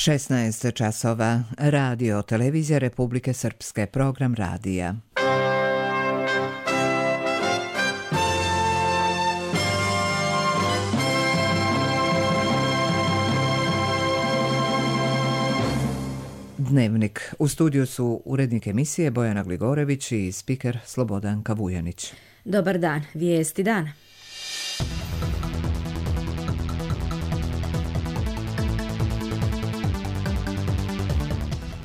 16 časova. Radio Televizija Republike Srpske. Program radija. Dnevnik. U studiju su urednik emisije Bojana Gligorević i spiker Slobodanka Vujanić. Dobar dan. Vijesti dana.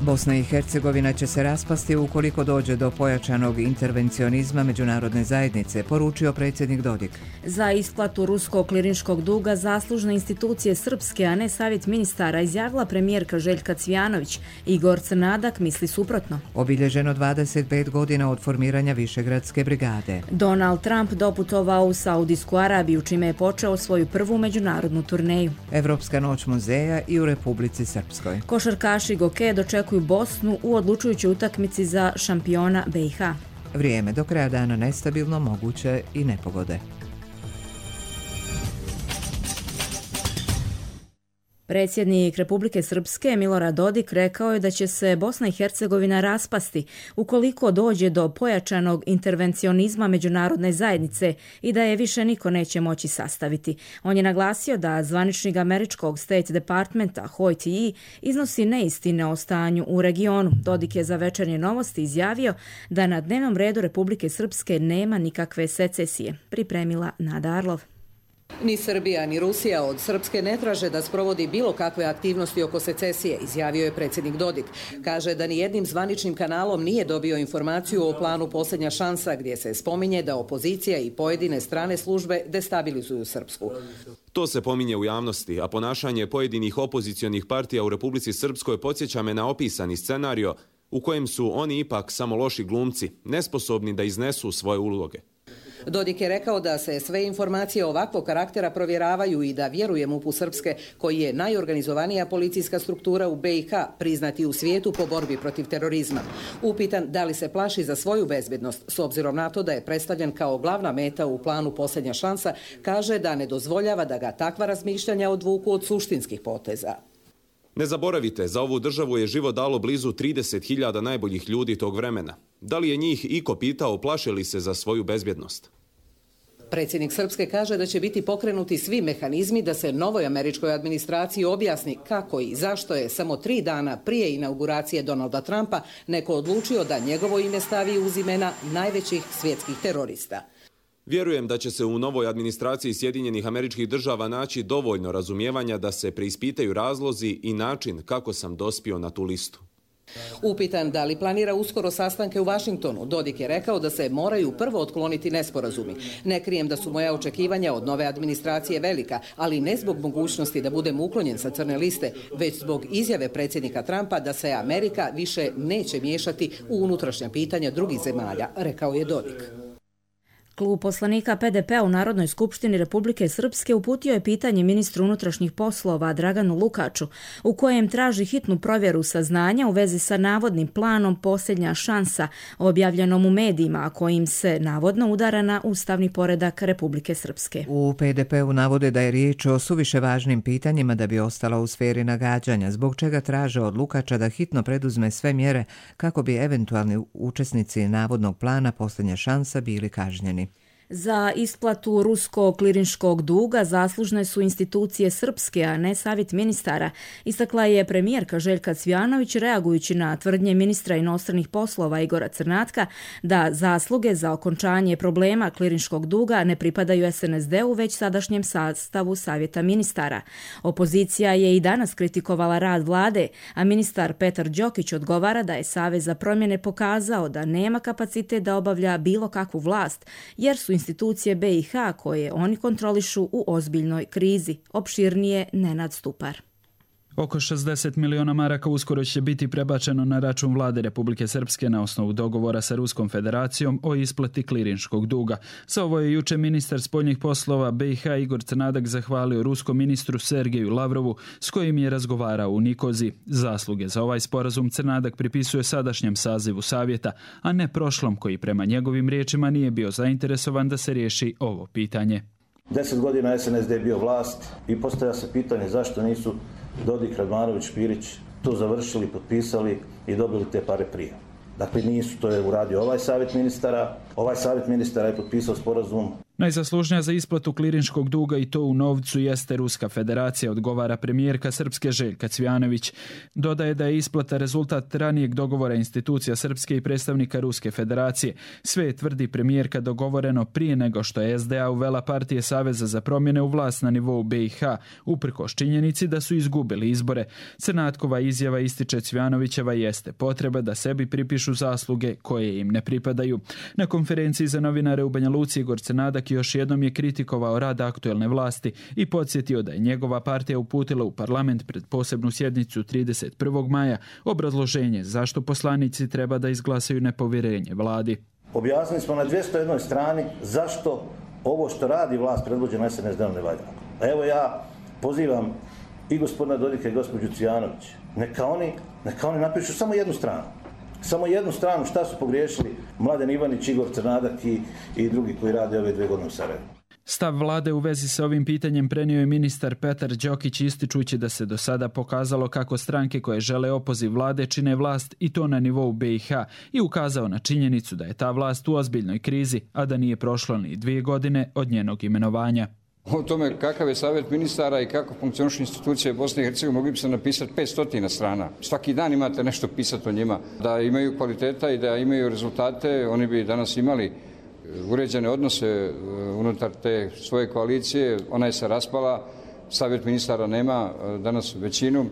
Bosna i Hercegovina će se raspasti ukoliko dođe do pojačanog intervencionizma međunarodne zajednice, poručio predsjednik Dodik. Za isplatu ruskog klirinškog duga zaslužne institucije srpske, a ne savjet ministara, izjavila premijerka Željka Cvijanović. Igor Crnadak misli suprotno. Obilježeno 25 godina od formiranja Višegradske brigade. Donald Trump doputovao u Saudijsku Arabiju, čime je počeo svoju prvu međunarodnu turneju. Evropska noć muzeja i u Republici Srpskoj. Košarkaši Goke dočekuju Bosnu u odlučujućoj utakmici za šampiona BiH. Vrijeme do kraja dana nestabilno, moguće i nepogode. Predsjednik Republike Srpske Milorad Dodik rekao je da će se Bosna i Hercegovina raspasti ukoliko dođe do pojačanog intervencionizma međunarodne zajednice i da je više niko neće moći sastaviti. On je naglasio da zvaničnik američkog State Departmenta Hoyt Yee iznosi neistine o stanju u regionu. Dodik je za Večernje novosti izjavio da na dnevnom redu Republike Srpske nema nikakve secesije. Pripremila Nada Arlov. Ni Srbija ni Rusija od Srpske ne traže da sprovodi bilo kakve aktivnosti oko secesije, izjavio je predsjednik Dodik. Kaže da ni jednim zvaničnim kanalom nije dobio informaciju o planu Posljednja šansa, gdje se spominje da opozicija i pojedine strane službe destabilizuju Srpsku. To se pominje u javnosti, a ponašanje pojedinih opozicionih partija u Republici Srpskoj podsjeća me na opisani scenario u kojem su oni ipak samo loši glumci, nesposobni da iznesu svoje uloge. Dodik je rekao da se sve informacije ovakvog karaktera provjeravaju i da vjeruje MUP-u Srpske, koji je najorganizovanija policijska struktura u BiH, priznati u svijetu po borbi protiv terorizma. Upitan da li se plaši za svoju bezbednost, s obzirom na to da je predstavljen kao glavna meta u planu Posljednja šansa, kaže da ne dozvoljava da ga takva razmišljanja odvuku od suštinskih poteza. Ne zaboravite, za ovu državu je život dalo blizu 30.000 najboljih ljudi tog vremena. Da li je njih iko pitao plaše li se za svoju bezbjednost? Predsjednik Srpske kaže da će biti pokrenuti svi mehanizmi da se novoj američkoj administraciji objasni kako i zašto je samo 3 dana prije inauguracije Donalda Trumpa neko odlučio da njegovo ime stavi uz imena najvećih svjetskih terorista. Vjerujem da će se u novoj administraciji Sjedinjenih Američkih Država naći dovoljno razumijevanja da se preispitaju razlozi i način kako sam dospio na tu listu. Upitan da li planira uskoro sastanke u Vašingtonu, Dodik je rekao da se moraju prvo otkloniti nesporazumi. Ne krijem da su moja očekivanja od nove administracije velika, ali ne zbog mogućnosti da budem uklonjen sa crne liste, već zbog izjave predsjednika Trumpa da se Amerika više neće miješati u unutrašnja pitanja drugih zemalja, rekao je Dodik. Klub poslanika PDP u Narodnoj skupštini Republike Srpske uputio je pitanje ministru unutrašnjih poslova Draganu Lukaču, u kojem traži hitnu provjeru saznanja u vezi sa navodnim planom Posljednja šansa, objavljenom u medijima, a kojim se navodno udara na ustavni poredak Republike Srpske. U PDP-u navode da je riječ o suviše važnim pitanjima da bi ostala u sferi nagađanja, zbog čega traže od Lukača da hitno preduzme sve mjere kako bi eventualni učesnici navodnog plana Posljednja šansa bili kažnjeni. Za isplatu ruskog klirinškog duga zaslužne su institucije srpske, a ne savjet ministara, istakla je premijerka Željka Cvijanović reagujući na tvrdnje ministra inostranih poslova Igora Crnatka da zasluge za okončanje problema klirinškog duga ne pripadaju SNSD-u već sadašnjem sastavu savjeta ministara. Opozicija je i danas kritikovala rad vlade, a ministar Petar Đokić odgovara da je Savez za promjene pokazao da nema kapacitet da obavlja bilo kakvu vlast, jer su institucije BiH koje oni kontrolišu u ozbiljnoj krizi. Opširnije Nenad Stupar. Oko 60 miliona maraka uskoro će biti prebačeno na račun vlade Republike Srpske na osnovu dogovora sa Ruskom federacijom o isplati klirinškog duga. Za ovo je juče ministar spoljnih poslova BiH Igor Crnadak zahvalio ruskom ministru Sergeju Lavrovu s kojim je razgovarao u Nikozi. Zasluge za ovaj sporazum Crnadak pripisuje sadašnjem sazivu savjeta, a ne prošlom koji prema njegovim riječima nije bio zainteresovan da se riješi ovo pitanje. 10 godina SNSD je bio vlast i postavlja se pitanje zašto nisu Dodik, Radmanović, Špirić to završili, potpisali i dobili te pare prije. Dakle, nisu, to je uradio ovaj savjet ministara. Ovaj savjet ministara je potpisao sporazum. Najzaslužnija za isplatu klirinškog duga i to u novcu jeste Ruska federacija, odgovara premijerka Srpske Željka Cvjanović. Dodaje da je isplata rezultat ranijeg dogovora institucija Srpske i predstavnika Ruske federacije. Sve je, tvrdi premijerka, dogovoreno prije nego što je SDA uvela partije Saveza za promjene u vlast na nivou BiH, uprkos činjenici da su izgubili izbore. Crnatkova izjava, ističe Cvjanovićeva, jeste potreba da sebi pripišu zasluge koje im ne pripadaju. Na konferenciji za novinare u Banja Luci Igor Crnadak još jednom je kritikovao rad aktuelne vlasti i podsjetio da je njegova partija uputila u parlament pred posebnu sjednicu 31. maja obrazloženje zašto poslanici treba da izglasaju nepovjerenje vladi. Objasnili smo na 201. strani zašto ovo što radi vlast predvođena SNSD-om ne valja. A evo ja pozivam i gospodina Dodika i gospođu Cvjanović, neka oni napišu samo jednu stranu. Samo jednu stranu šta su pogriješili Mladen Ivanić, Igor Crnadak i drugi koji rade ove 2 godine u Sarajevu. Stav vlade u vezi sa ovim pitanjem prenio je ministar Petar Đokić, ističući da se do sada pokazalo kako stranke koje žele opoziv vlade čine vlast i to na nivou BiH i ukazao na činjenicu da je ta vlast u ozbiljnoj krizi, a da nije prošlo ni 2 godine od njenog imenovanja. O tome kakav je savjet ministara i kako funkcionišu institucije Bosne i Hercegovine mogli bi se napisati 500 strana. Svaki dan imate nešto pisati o njima. Da imaju kvaliteta i da imaju rezultate, oni bi danas imali uređene odnose unutar te svoje koalicije. Ona je se raspala, savjet ministara nema danas većinu.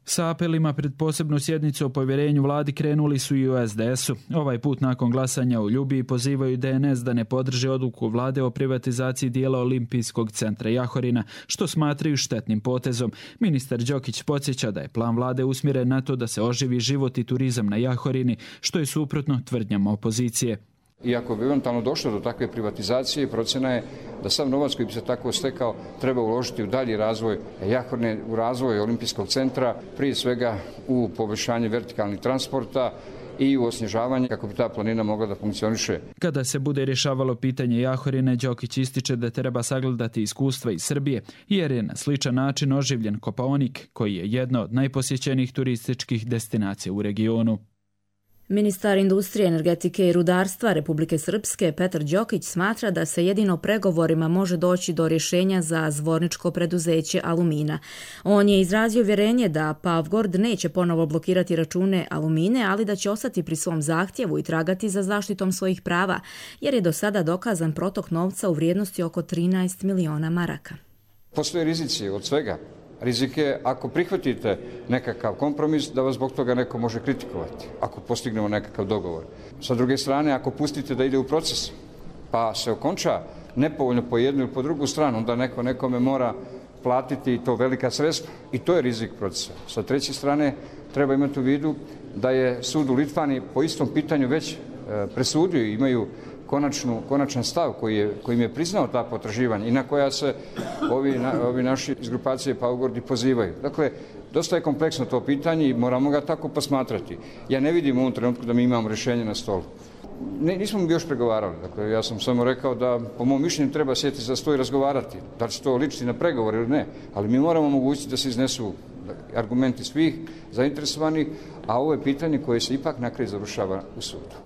Sa apelima pred posebnu sjednicu o povjerenju vladi krenuli su i u SDS-u. Ovaj put nakon glasanja u Ljubiji pozivaju DNS da ne podrži odluku vlade o privatizaciji dijela Olimpijskog centra Jahorina, što smatraju štetnim potezom. Ministar Đokić podsjeća da je plan vlade usmjeren na to da se oživi život i turizam na Jahorini, što je suprotno tvrdnjama opozicije. Iako bi eventualno došlo do takve privatizacije, procjena je da sav novac koji bi se tako stekao treba uložiti u dalji razvoj Jahorine, u razvoj Olimpijskog centra, prije svega u poboljšanje vertikalnih transporta i u osnježavanje kako bi ta planina mogla da funkcioniše. Kada se bude rješavalo pitanje Jahorine, Đokić ističe da treba sagledati iskustva iz Srbije, jer je na sličan način oživljen Kopaonik, koji je jedna od najposjećenijih turističkih destinacija u regionu. Ministar industrije, energetike i rudarstva Republike Srpske Petar Đokić smatra da se jedino pregovorima može doći do rješenja za zvorničko preduzeće Alumina. On je izrazio vjerenje da Pavgord neće ponovo blokirati račune Alumine, ali da će ostati pri svom zahtjevu i tragati za zaštitom svojih prava, jer je do sada dokazan protok novca u vrijednosti oko 13 miliona maraka. Postoje rizici od svega. Rizik je ako prihvatite nekakav kompromis da vas zbog toga neko može kritikovati, ako postignemo nekakav dogovor. Sa druge strane, ako pustite da ide u proces, pa se okonča nepovoljno po jednu ili po drugu stranu, onda neko nekome mora platiti to velika sredstva i to je rizik procesa. Sa treće strane, treba imati u vidu da je sud u Litvani po istom pitanju već presudio i imaju konačan stav kojim je priznao ta potraživanja i na koja se ovi naši iz grupacije Pavgordi pozivaju. Dakle, dosta je kompleksno to pitanje i moramo ga tako posmatrati. Ja ne vidim u ovom trenutku da mi imamo rješenje na stolu. Nismo mi još pregovarali. Dakle, ja sam samo rekao da po mom mišljenju treba sjeti za sto i razgovarati. Da li će to ličiti na pregovor ili ne. Ali mi moramo omogućiti da se iznesu argumenti svih zainteresovanih, a ovo je pitanje koje se ipak na kraju završava u sudu.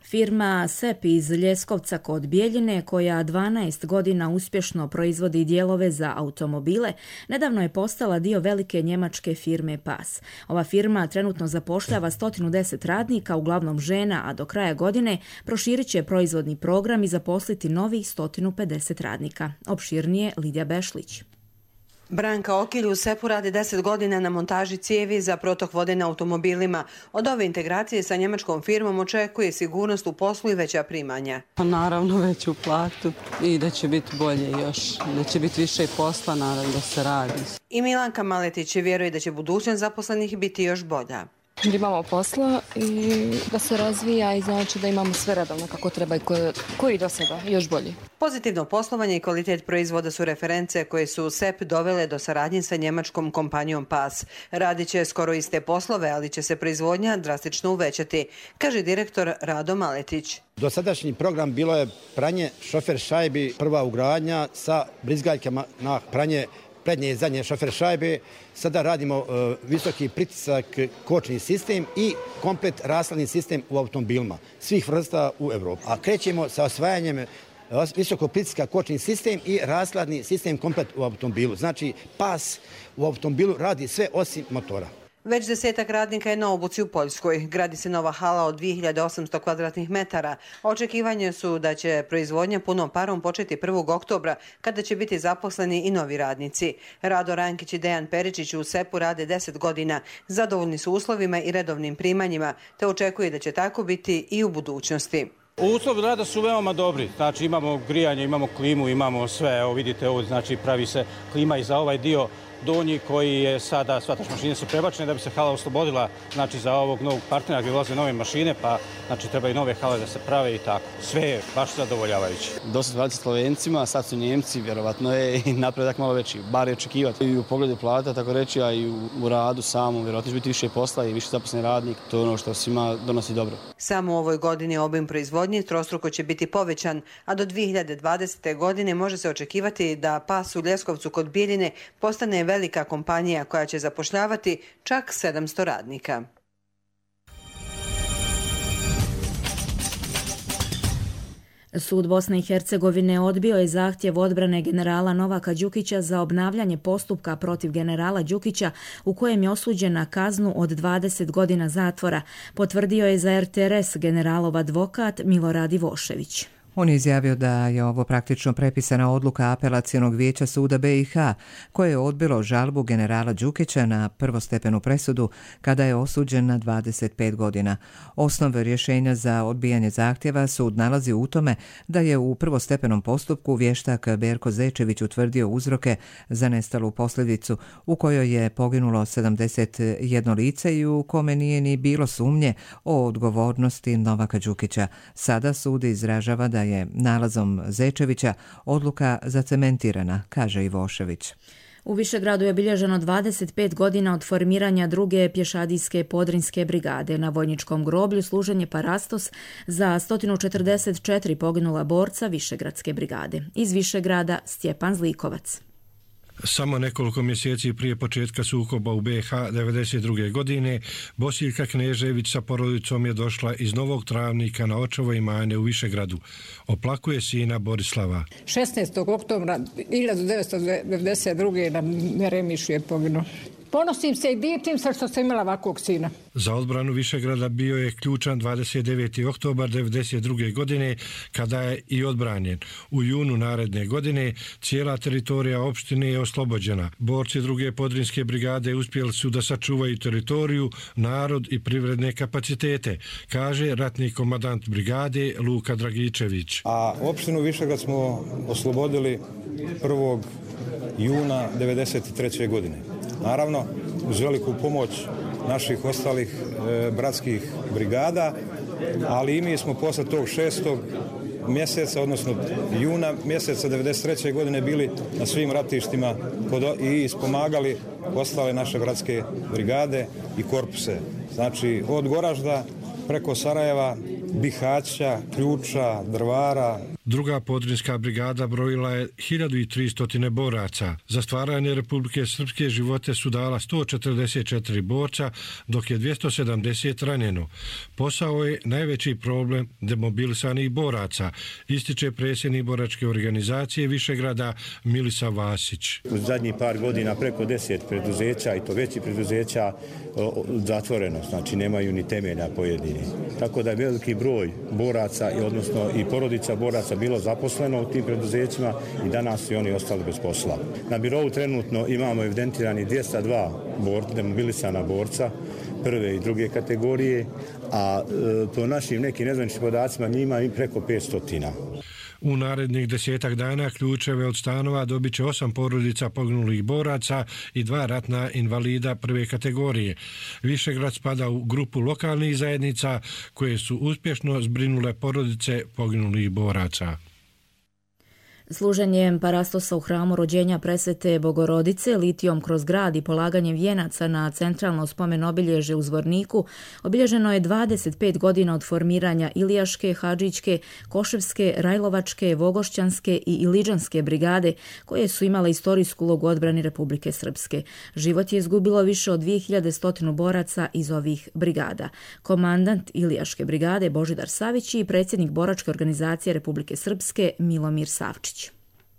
Firma SEP iz Ljeskovca kod Bijeljine, koja 12 godina uspješno proizvodi dijelove za automobile, nedavno je postala dio velike njemačke firme PAS. Ova firma trenutno zapošljava 110 radnika, uglavnom žena, a do kraja godine proširit će proizvodni program i zaposliti novih 150 radnika. Opširnije Lidija Bešlić. Branka Okilj u SEP-u radi 10 godina na montaži cijevi za protok vode na automobilima. Od ove integracije sa njemačkom firmom očekuje sigurnost u poslu i veća primanja. Naravno veću platu i da će biti bolje još, da će biti više posla, naravno da se radi. I Milanka Maletić vjeruje da će budućnost zaposlenih biti još bolja. Da imamo posla i da se razvija i znači da imamo sve redovno kako treba i koji do sada, još bolje. Pozitivno poslovanje i kvalitet proizvoda su reference koje su SEP dovele do saradnje sa njemačkom kompanijom PAS. Radit će skoro iste poslove, ali će se proizvodnja drastično uvećati, kaže direktor Rado Maletić. Dosadašnji program bilo je pranje šofer šajbi, prva ugradnja sa brizgaljkama na pranje prednje i zadnje šofer šajbe. Sada radimo visoki pritisak kočni sistem i komplet rashladni sistem u automobilima svih vrsta u Evropi. A krećemo sa osvajanjem visoko pritiska kočni sistem i rashladni sistem komplet u automobilu. Znači pas u automobilu radi sve osim motora. Već 10 radnika je na obuci u Poljskoj. Gradi se nova hala od 2800 kvadratnih metara. Očekivanje su da će proizvodnja punom parom početi 1. oktobra, kada će biti zaposleni i novi radnici. Rado Rankić i Dejan Peričić u SEP-u rade 10 godina. Zadovoljni su uslovima i redovnim primanjima, te očekuje da će tako biti i u budućnosti. Uslovi rada su veoma dobri, znači imamo grijanje, imamo klimu, imamo sve, evo vidite ovo, znači pravi se klima i za ovaj dio donji koji je sada, svataš mašine su prebačene da bi se hala oslobodila, znači za ovog novog partnera gdje ulaze nove mašine, pa znači treba i nove hale da se prave i tako. Sve je baš zadovoljavajuće. Dosta se raditi Slovencima, sad su Njemci, vjerovatno je i napredak malo veći, bar je očekivati. I u pogledu plata, tako reći, a i u radu samom, vjerovatno će biti više posla i više zaposlen radnik, to je ono što svima donosi dobro. Samo u ovoj godini obim proizvodnje trostruko će biti povećan, a do 2020. godine može se očekivati da pas u Ljeskovcu kod Bijeljine postane velika kompanija koja će zapošljavati čak 700 radnika. Sud Bosne i Hercegovine odbio je zahtjev odbrane generala Novaka Đukića za obnavljanje postupka protiv generala Đukića u kojem je osuđen na kaznu od 20 godina zatvora, potvrdio je za RTRS generalov advokat Milorad Ivošević. On je izjavio da je ovo praktično prepisana odluka Apelacionog vijeća suda BiH, koje je odbilo žalbu generala Đukića na prvostepenu presudu kada je osuđen na 25 godina. Osnov rješenja za odbijanje zahtjeva sud nalazi u tome da je u prvostepenom postupku vještak Berko Zečević utvrdio uzroke za nestalu posljedicu u kojoj je poginulo 71 lice i u kome nije ni bilo sumnje o odgovornosti Novaka Đukića. Sada sud izražava da je nalazom Zečevića odluka zacementirana, kaže Ivošević. U Višegradu je obilježeno 25 godina od formiranja druge pješadijske podrinske brigade. Na vojničkom groblju služen je parastos za 144 poginula borca Višegradske brigade. Iz Višegrada Stjepan Zlikovac. Samo nekoliko mjeseci prije početka sukoba u BiH 1992. godine Bosiljka Knežević sa porodicom je došla iz Novog Travnika na očevo imanje u Višegradu. Oplakuje sina Borislava. 16. oktobra 1992. na Meremišu je poginuo. Ponosim se i divim se što sam imala ovakvog sina. Za odbranu Višegrada bio je ključan 29. oktobar 1992. godine kada je i odbranjen. U junu naredne godine cijela teritorija opštine je oslobođena. Borci druge podrinske brigade uspjeli su da sačuvaju teritoriju, narod i privredne kapacitete, kaže ratni komandant brigade Luka Dragičević. A opštinu Višegrad smo oslobodili 1. juna 1993. godine. Naravno, uz veliku pomoć naših ostalih bratskih brigada, ali i mi smo posle tog 6. mjeseca, odnosno juna mjeseca 1993. godine bili na svim ratištima i ispomagali ostale naše bratske brigade i korpuse. Znači, od Goražda preko Sarajeva, Bihaća, Ključa, Drvara. Druga podrinska brigada brojila je 1300 boraca. Za stvaranje Republike Srpske živote su dala 144 borca, dok je 270 ranjeno. Posao je najveći problem demobilisanih boraca, ističe predsjednik boračke organizacije Višegrada Milisa Vasić. U zadnjih par godina preko 10 preduzeća, i to veći preduzeća, zatvoreno, znači nemaju ni temelja pojedini. Tako da je veliki broj boraca, odnosno i porodica boraca bilo zaposleno u tim preduzećima i danas su oni ostali bez posla. Na birovu trenutno imamo evidentirani 202 demobilisana borca prve i druge kategorije, a po našim nekim nezvaničnim podacima njima i preko 500. U narednih 10 dana ključeve od stanova dobit će 8 porodica poginulih boraca i 2 ratna invalida prve kategorije. Višegrad spada u grupu lokalnih zajednica koje su uspješno zbrinule porodice poginulih boraca. Služenjem parastosa u hramu rođenja presvete Bogorodice, litijom kroz grad i polaganjem vijenaca na centralno spomen obilježje u Zvorniku obilježeno je 25 godina od formiranja Ilijaške, Hadžićke, Koševske, Rajlovačke, Vogošćanske i Iliđanske brigade koje su imale istorijsku ulogu u odbrani Republike Srpske. Život je izgubilo više od 2100 boraca iz ovih brigada. Komandant Ilijaške brigade Božidar Savić i predsjednik boračke organizacije Republike Srpske Milomir Savčić.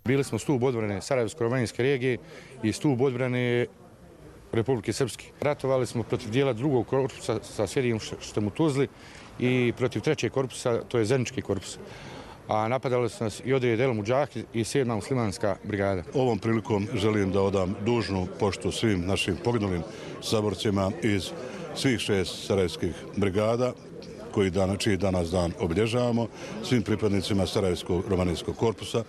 Bili smo stup odbrane Sarajevsko-romanijske regije i stup odbrane Republike Srpske. Ratovali smo protiv dijela drugog korpusa sa sjedištem u Tuzli i protiv trećeg korpusa, to je Zenički korpus. A napadali su nas i odred El Mudžahid i 7. muslimanska brigada. Ovom prilikom želim da odam dužnu poštu svim našim poginulim saborcima iz svih 6 sarajevskih brigada čiji danas dan obilježavamo, svim pripadnicima Sarajevskog romanijskog korpusa.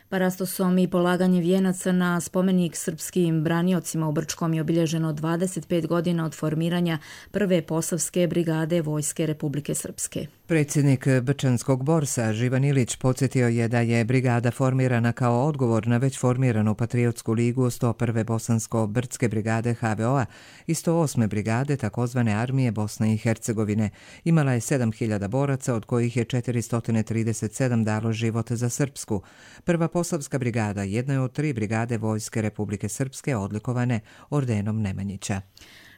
Parastosom i polaganje vijenaca na spomenik srpskim braniocima u Brčkom je obilježeno 25 godina od formiranja prve posavske brigade Vojske Republike Srpske. Predsjednik Brčanskog borsa Živan Ilić podsjetio je da je brigada formirana kao odgovor na već formiranu Patriotsku ligu 101. Bosansko-Brdske brigade HVO-a i 108. brigade takozvane armije Bosne i Hercegovine. Imala je 7000 boraca, od kojih je 437 dalo život za Srpsku. Prva Posavska brigada jedna je od 3 brigade Vojske Republike Srpske odlikovane ordenom Nemanjića.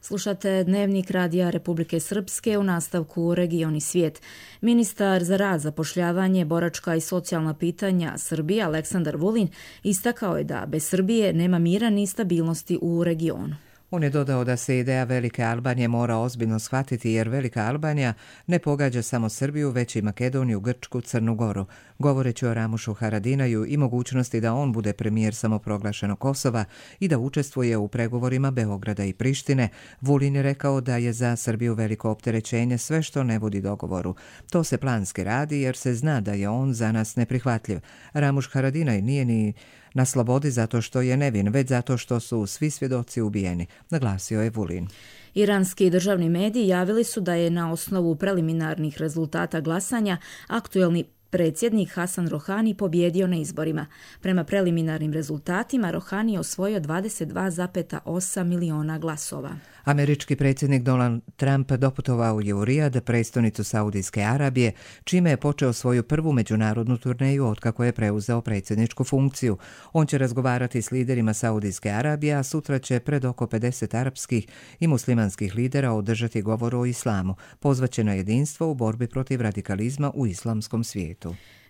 Slušate Dnevnik Radija Republike Srpske, u nastavku Region i svijet. Ministar za rad, zapošljavanje, boračka i socijalna pitanja Srbije Aleksandar Vulin istakao je da bez Srbije nema mira ni stabilnosti u regionu. On je dodao da se ideja Velike Albanije mora ozbiljno shvatiti jer Velika Albanija ne pogađa samo Srbiju, već i Makedoniju, Grčku, Crnu Goru. Govoreći o Ramušu Haradinaju i mogućnosti da on bude premijer samoproglašenog Kosova i da učestvuje u pregovorima Beograda i Prištine, Vulin je rekao da je za Srbiju veliko opterećenje sve što ne vodi dogovoru. To se planski radi jer se zna da je on za nas neprihvatljiv. Ramuš Haradinaj nije ni na slobodi zato što je nevin, već zato što su svi svjedoci ubijeni, naglasio je Vulin. Iranski državni mediji javili su da je na osnovu preliminarnih rezultata glasanja aktuelni predsjednik Hasan Rohani pobjedio na izborima. Prema preliminarnim rezultatima Rohani je osvojio 22,8 miliona glasova. Američki predsjednik Donald Trump doputovao je u Rijad, prestonicu Saudijske Arabije, čime je počeo svoju prvu međunarodnu turneju otkako je preuzeo predsjedničku funkciju. On će razgovarati s liderima Saudijske Arabije, a sutra će pred oko 50 arapskih i muslimanskih lidera održati govor o islamu, pozvaće na jedinstvo u borbi protiv radikalizma u islamskom svijetu.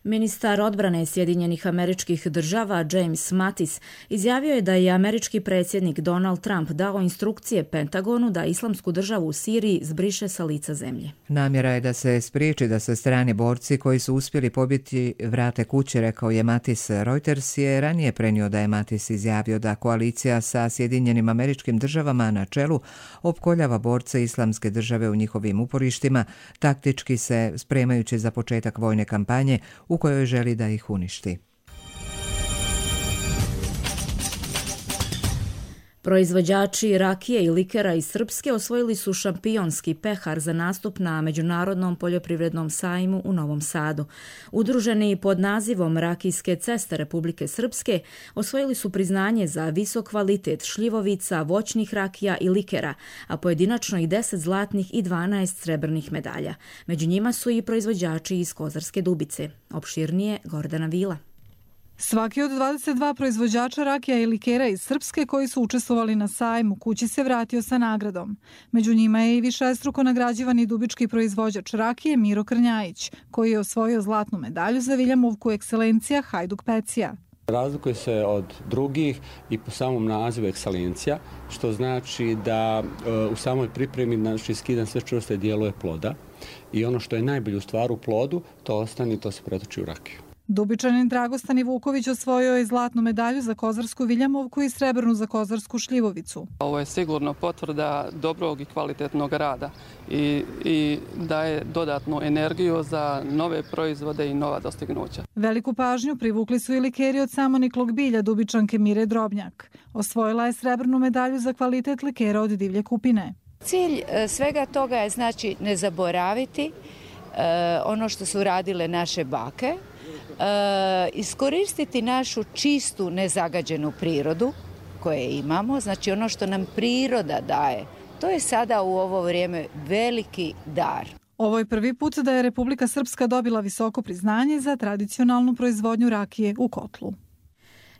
Ministar odbrane Sjedinjenih Američkih Država James Mattis izjavio je da je američki predsjednik Donald Trump dao instrukcije Pentagonu da islamsku državu u Siriji zbriše sa lica zemlje. Namjera je da se spriječi da se strani borci koji su uspjeli pobiti vrate kući, rekao je Mattis. Reuters je ranije prenio da je Mattis izjavio da koalicija sa Sjedinjenim Američkim Državama na čelu opkoljava borce islamske države u njihovim uporištima, taktički se spremajući za početak vojne kampanje u kojoj želi da ih uništi. Proizvođači rakije i likera iz Srpske osvojili su šampionski pehar za nastup na Međunarodnom poljoprivrednom sajmu u Novom Sadu. Udruženi pod nazivom Rakijske ceste Republike Srpske osvojili su priznanje za visok kvalitet šljivovica, voćnih rakija i likera, a pojedinačno i 10 zlatnih i 12 srebrnih medalja. Među njima su i proizvođači iz Kozarske Dubice. Opširnije Gordana Vila. Svaki od 22 proizvođača rakija i likera iz Srpske koji su učestvovali na sajmu kući se vratio sa nagradom. Među njima je i višestruko nagrađivani dubički proizvođač rakije Miro Krnjajić, koji je osvojio zlatnu medalju za Viljamovku ekscelencija Hajduk Pecija. Razlikuje se od drugih i po samom nazivu ekscelencija, što znači da u samoj pripremi skidan sve čvrste dijelove ploda i ono što je najbolje u stvaru u plodu, to ostane i to se pretoči u rakiju. Dubičanin Dragostan Vuković osvojio je zlatnu medalju za Kozarsku Viljamovku i srebrnu za Kozarsku šljivovicu. Ovo je sigurno potvrda dobrog i kvalitetnog rada i daje dodatnu energiju za nove proizvode i nova dostignuća. Veliku pažnju privukli su i likeri od samoniklog bilja Dubičanke Mire Drobnjak. Osvojila je srebrnu medalju za kvalitet likera od divlje kupine. Cilj svega toga je znači ne zaboraviti ono što su radile naše bake, iskoristiti našu čistu, nezagađenu prirodu koje imamo, znači ono što nam priroda daje. To je sada u ovo vrijeme veliki dar. Ovo je prvi put da je Republika Srpska dobila visoko priznanje za tradicionalnu proizvodnju rakije u kotlu.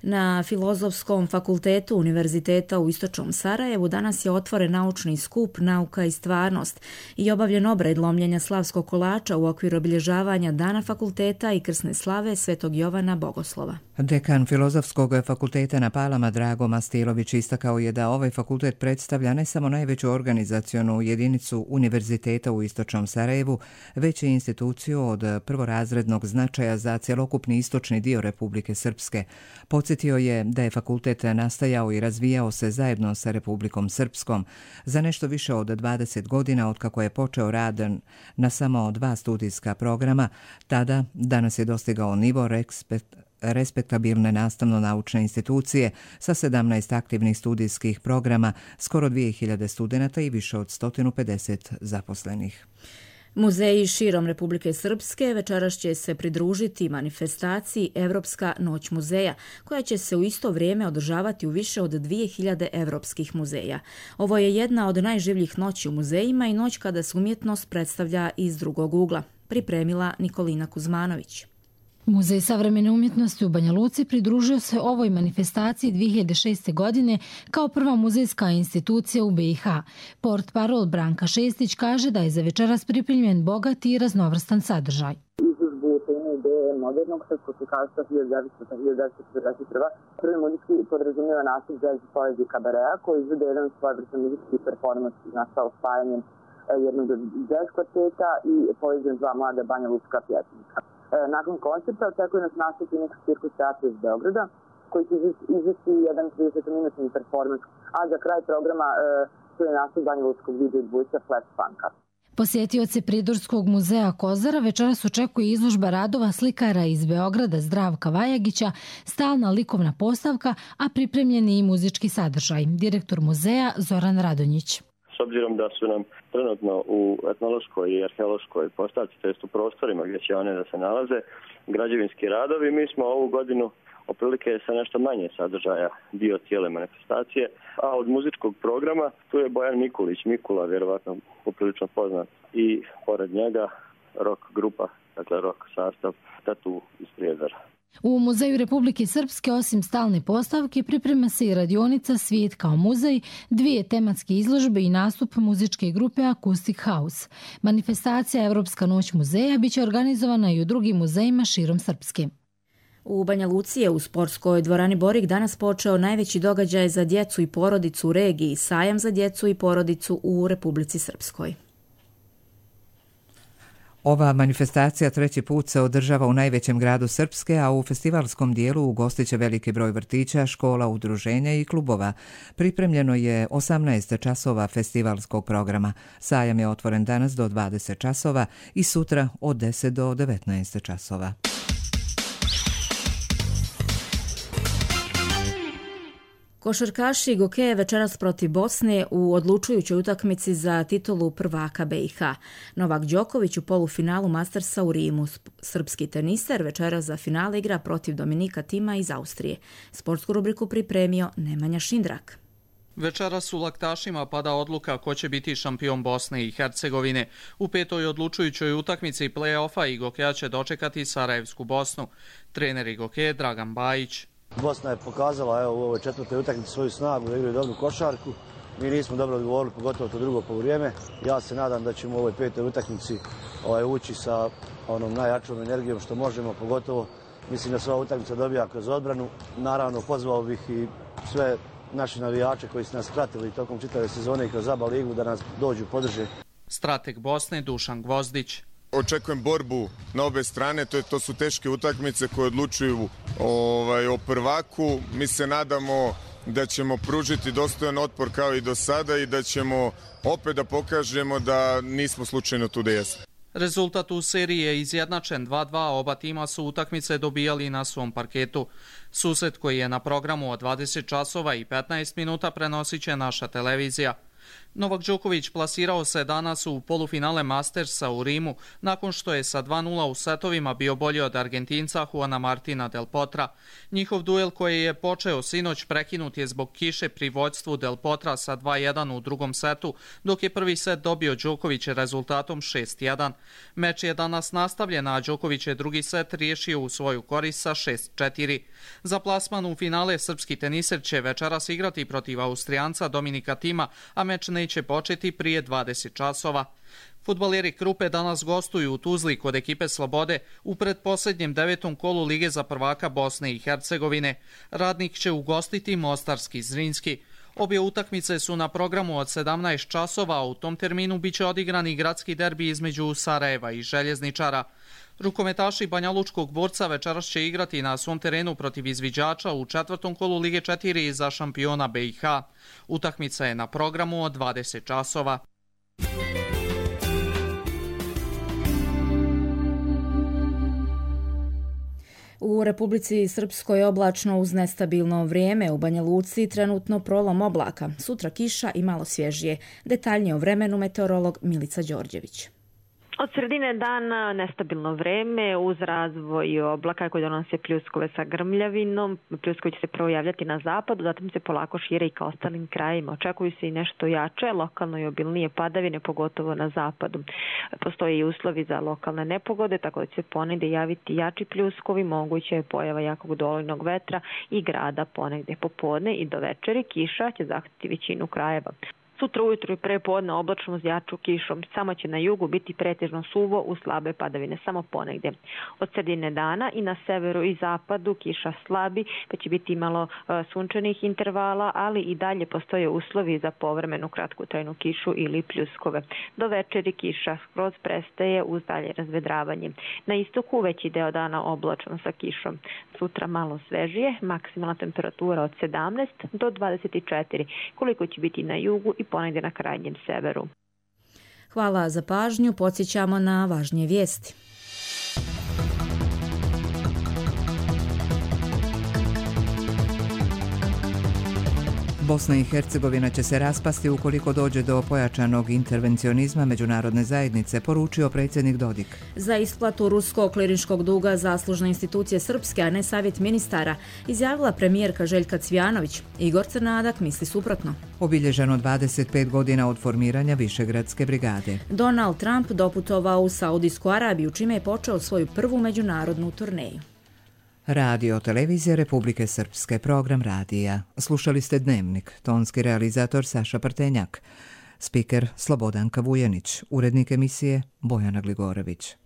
Na Filozofskom fakultetu Univerziteta u Istočnom Sarajevu danas je otvoren naučni skup Nauka i stvarnost i obavljen obred lomljenja slavskog kolača u okviru obilježavanja Dana fakulteta i krsne slave Svetog Jovana Bogoslova. Dekan Filozofskog fakulteta na Palama Drago Mastilović istakao je da ovaj fakultet predstavlja ne samo najveću organizacionu jedinicu Univerziteta u Istočnom Sarajevu, već i instituciju od prvorazrednog značaja za cjelokupni istočni dio Republike Srpske. Podsjetio je da je fakultet nastajao i razvijao se zajedno sa Republikom Srpskom za nešto više od 20 godina otkako je počeo rad na samo 2 studijska programa. Tada danas je dostigao nivo respektabilne nastavno-naučne institucije sa 17 aktivnih studijskih programa, skoro 2000 studenata i više od 150 zaposlenih. Muzeji širom Republike Srpske večeras će se pridružiti manifestaciji Evropska noć muzeja, koja će se u isto vrijeme održavati u više od 2000 evropskih muzeja. Ovo je jedna od najživljih noći u muzejima i noć kada se umjetnost predstavlja iz drugog ugla, pripremila Nikolina Kuzmanović. Muzej savremene umjetnosti u Banja Luci pridružio se ovoj manifestaciji 2006. godine kao prva muzejska institucija u BiH. Portparol Branka Šestić kaže da je za večeras pripremljen bogat i raznovrstan sadržaj. Izložbu teme ideje modernog srpskog slikarstva 1941. Prvi muzejski podrazumijeva nastup jazz i poezije kabareja koji izvede jedan svojevrstan muzejski performans nastao spajanjem jednog jazz kvarteta i poezijom 2 mlada banja lučka pjesnika. Nakon koncerta očekuje nas nastup Phoenix Circus teatra iz Beograda, koji će izvesti jedan 30-minutni performans, a za kraj programa to je nastup banjalučkog video dvojca Flash Funka. Posjetioce Pridorskog muzeja Kozara večeras očekuje izložba radova slikara iz Beograda Zdravka Vajagića, stalna likovna postavka, a pripremljeni i muzički sadržaj. Direktor muzeja Zoran Radonjić. S obzirom da su nam trenutno u etnološkoj i arheološkoj postavci, to jest u prostorima gdje će one da se nalaze, građevinski radovi, mi smo ovu godinu otprilike sa nešto manje sadržaja dio cijele manifestacije, a od muzičkog programa tu je Bojan Mikulić, Mikula, vjerovatno poprilično poznat, i pored njega rock grupa, dakle rock sastav Tatu iz Prijedora. U Muzeju Republike Srpske osim stalne postavke priprema se i radionica Svijet kao muzej, 2 tematske izložbe i nastup muzičke grupe Acoustic House. Manifestacija Evropska noć muzeja biće organizovana i u drugim muzejima širom Srpske. U Banja Luci je u sportskoj dvorani Borik danas počeo najveći događaj za djecu i porodicu u regiji, sajam za djecu i porodicu u Republici Srpskoj. Ova manifestacija 3. put se održava u najvećem gradu Srpske, a u festivalskom dijelu ugostit će veliki broj vrtića, škola, udruženja i klubova. Pripremljeno je 18 časova festivalskog programa. Sajam je otvoren danas do 20 časova i sutra od 10 do 19 časova. Košarkaši Gokeje večeras protiv Bosne u odlučujućoj utakmici za titulu prvaka BiH. Novak Đoković u polufinalu Mastersa u Rimu. Srpski teniser večeras za finale igra protiv Dominika Tima iz Austrije. Sportsku rubriku pripremio Nemanja Šindrak. Večeras u Laktašima pada odluka ko će biti šampion Bosne i Hercegovine. U 5. odlučujućoj utakmici play-offa i Gokeja će dočekati Sarajevsku Bosnu. Trener i Gokeje Dragan Bajić. Bosna je pokazala u ovoj 4. utakmici svoju snagu da igraju dobru košarku. Mi nismo dobro odgovorili, pogotovo to drugo poluvrijeme. Ja se nadam da ćemo u ovoj 5. utakmici ući sa onom najjačom energijom što možemo, pogotovo mislim da se ova utakmica dobija kroz odbranu. Naravno, pozvao bih i sve naše navijače koji su nas pratili tokom čitave sezone i kroz ABA ligu da nas dođu podrže. Strateg Bosne Dušan Gvozdić. Očekujem borbu na obe strane, to su teške utakmice koje odlučuju o prvaku. Mi se nadamo da ćemo pružiti dostojan otpor kao i do sada i da ćemo opet da pokažemo da nismo slučajno tu da jesmo. Rezultat u seriji je izjednačen 2-2, oba tima su utakmice dobijali na svom parketu. Susret koji je na programu od 20 časova i 15 minuta prenosit će naša televizija. Novak Đoković plasirao se danas u polufinale Mastersa u Rimu nakon što je sa 2:0 u setovima bio bolji od Argentinca Juana Martina Del Potra. Njihov duel koji je počeo sinoć prekinut je zbog kiše pri vođstvu Del Potra sa 2:1 u drugom setu, dok je prvi set dobio Đoković rezultatom 6:1. Meč je danas nastavljen, a Đoković je drugi set riješio u svoju korist sa 6:4. Za plasman u finale srpski teniser će večeras igrati protiv Austrijanca Dominika Tima, a meč neće početi prije 20 časova. Fudbaleri Krupe danas gostuju u Tuzli kod ekipe Slobode u predposljednjem 9. kolu Lige za prvaka Bosne i Hercegovine. Radnik će ugostiti Mostarski Zrinski. Obje utakmice su na programu od 17 časova, a u tom terminu biće odigrani gradski derbi između Sarajeva i Željezničara. Rukometaši Banjalučkog Borca večeras će igrati na svom terenu protiv izviđača u 4. kolu Lige 4 za šampiona BiH. Utakmica je na programu od 20 časova. U Republici Srpskoj je oblačno uz nestabilno vrijeme. U Banja Luci trenutno prolom oblaka. Sutra kiša i malo svježije. Detaljnije o vremenu meteorolog Milica Đorđević. Od sredine dana nestabilno vreme uz razvoj oblaka koji donose pljuskove sa grmljavinom. Pljuskovi će se prvo javljati na zapadu, zatim se polako šire i ka ostalim krajima. Očekuju se i nešto jače, lokalno i obilnije padavine, pogotovo na zapadu. Postoje i uslovi za lokalne nepogode, tako da će se ponegdje javiti jači pljuskovi, moguće je pojava jakog dolojnog vetra i grada ponegdje popodne i do večeri. Kiša će zahvatiti većinu krajeva. Sutra ujutru i prepodne oblačno uz jaču kišom. Samo će na jugu biti pretežno suvo uz slabe padavine, samo ponegdje. Od sredine dana i na severu i zapadu kiša slabi, pa će biti malo sunčanih intervala, ali i dalje postoje uslovi za povremenu kratkotrajnu kišu ili pljuskove. Do večeri kiša skroz prestaje uz dalje razvedravanje. Na istoku veći deo dana oblačno sa kišom. Sutra malo svežije, maksimalna temperatura od 17 do 24, koliko će biti na jugu i ponegdje na krajnjem severu. Hvala za pažnju, podsjećamo na važnije vijesti. Bosna i Hercegovina će se raspasti ukoliko dođe do pojačanog intervencionizma međunarodne zajednice, poručio predsjednik Dodik. Za isplatu ruskog klirinškog duga zaslužne institucije srpske, a ne savjet ministara, izjavila premijerka Željka Cvjanović. Igor Crnadak misli suprotno. Obilježeno 25 godina od formiranja Višegradske brigade. Donald Trump doputovao u Saudijsku Arabiju, čime je počeo svoju prvu međunarodnu turneju. Radio televizija Republike Srpske, program radija. Slušali ste Dnevnik, tonski realizator Saša Partenjak, spiker Slobodanka Vujanić, urednik emisije Bojana Gligorović.